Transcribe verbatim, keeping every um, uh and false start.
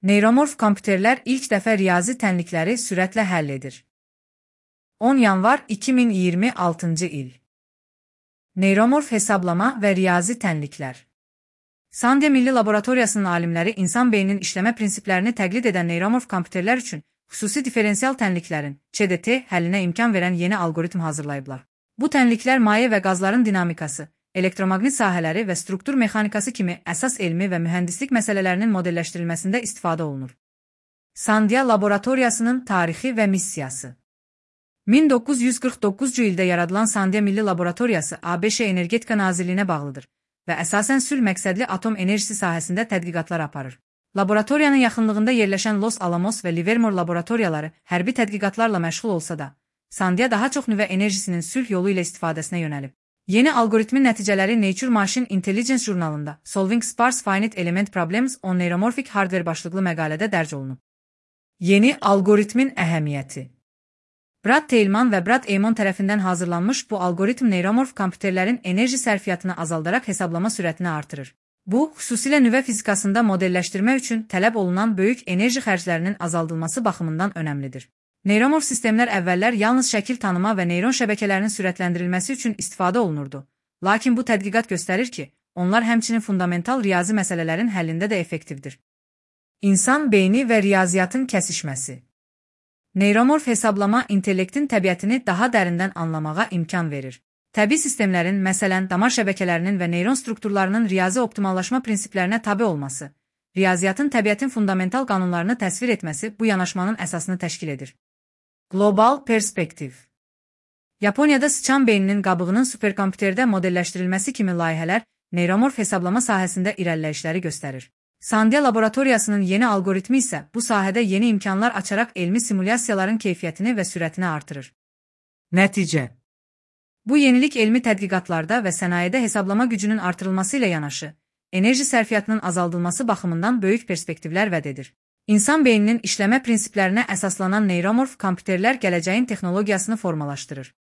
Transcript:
Neyromorf kompüterlər ilk dəfə riyazi tənlikləri sürətlə həll edir. on yanvar iki min iyirmi altıncı il. Neyromorf hesablama və riyazi tənliklər. Sandia Milli Laboratoriyasının alimləri insan beyninin işləmə prinsiplərini təqlid edən neyromorf kompüterlər üçün xüsusi diferensial tənliklərin C D T həllinə imkan verən yeni algoritm hazırlayıblar. Bu tənliklər maye və qazların dinamikası, elektromaqnit sahələri və struktur mexanikası kimi əsas elmi və mühəndislik məsələlərinin modelləşdirilməsində istifadə olunur. Sandia Laboratoriyasının tarixi və missiyası. min doqquz yüz qırx doqquzuncu ildə yaradılan Sandia Milli Laboratoriyası A B Ş Energetika Nazirliyinə bağlıdır və əsasən sülh məqsədli atom enerjisi sahəsində tədqiqatlar aparır. Laboratoriyanın yaxınlığında yerləşən Los Alamos və Livermore laboratoriyaları hərbi tədqiqatlarla məşğul olsa da, Sandia daha çox nüvə enerjisinin sülh yolu ilə istifadəsinə yönəlib. Yeni algoritmin nəticələri Nature Machine Intelligence jurnalında Solving Sparse Finite Element Problems on Neuromorphic Hardware başlıqlı məqalədə dərc olunub. Yeni algoritmin əhəmiyyəti. Brad Teilman və Brad Eamon tərəfindən hazırlanmış bu algoritm neyromorf kompüterlərin enerji sərfiyyatını azaldaraq hesablama sürətini artırır. Bu, xüsusilə nüvə fizikasında modelləşdirmə üçün tələb olunan böyük enerji xərclərinin azaldılması baxımından önəmlidir. Neyromorf sistemlər əvvəllər yalnız şəkil tanıma və neyron şəbəkələrinin sürətləndirilməsi üçün istifadə olunurdu. Lakin bu tədqiqat göstərir ki, onlar həmçinin fundamental riyazi məsələlərin həllində də effektivdir. İnsan beyni və riyaziyyatın kəsişməsi. Neyromorf hesablama intellektin təbiətini daha dərindən anlamağa imkan verir. Təbii sistemlərin, məsələn, damar şəbəkələrinin və neyron strukturlarının riyazi optimallaşma prinsiplərinə tabe olması, riyaziyyatın təbiətin fundamental qanunlarını təsvir etməsi bu yanaşmanın əsasını təşkil edir. Qlobal perspektiv. Yaponiyada sıçan beyninin qabığının superkompüterdə modelləşdirilməsi kimi layihələr neyromorf hesablama sahəsində irəliləyişləri göstərir. Sandia Laboratoriyasının yeni algoritmi isə bu sahədə yeni imkanlar açaraq elmi simulyasiyaların keyfiyyətini və sürətini artırır. Nəticə. Bu yenilik elmi tədqiqatlarda və sənayedə hesablama gücünün artırılması ilə yanaşı, enerji sərfiyyatının azaldılması baxımından böyük perspektivlər vəd edir. İnsan beyninin işləmə prinsiplərinə əsaslanan neyromorf kompüterlər gələcəyin texnologiyasını formalaşdırır.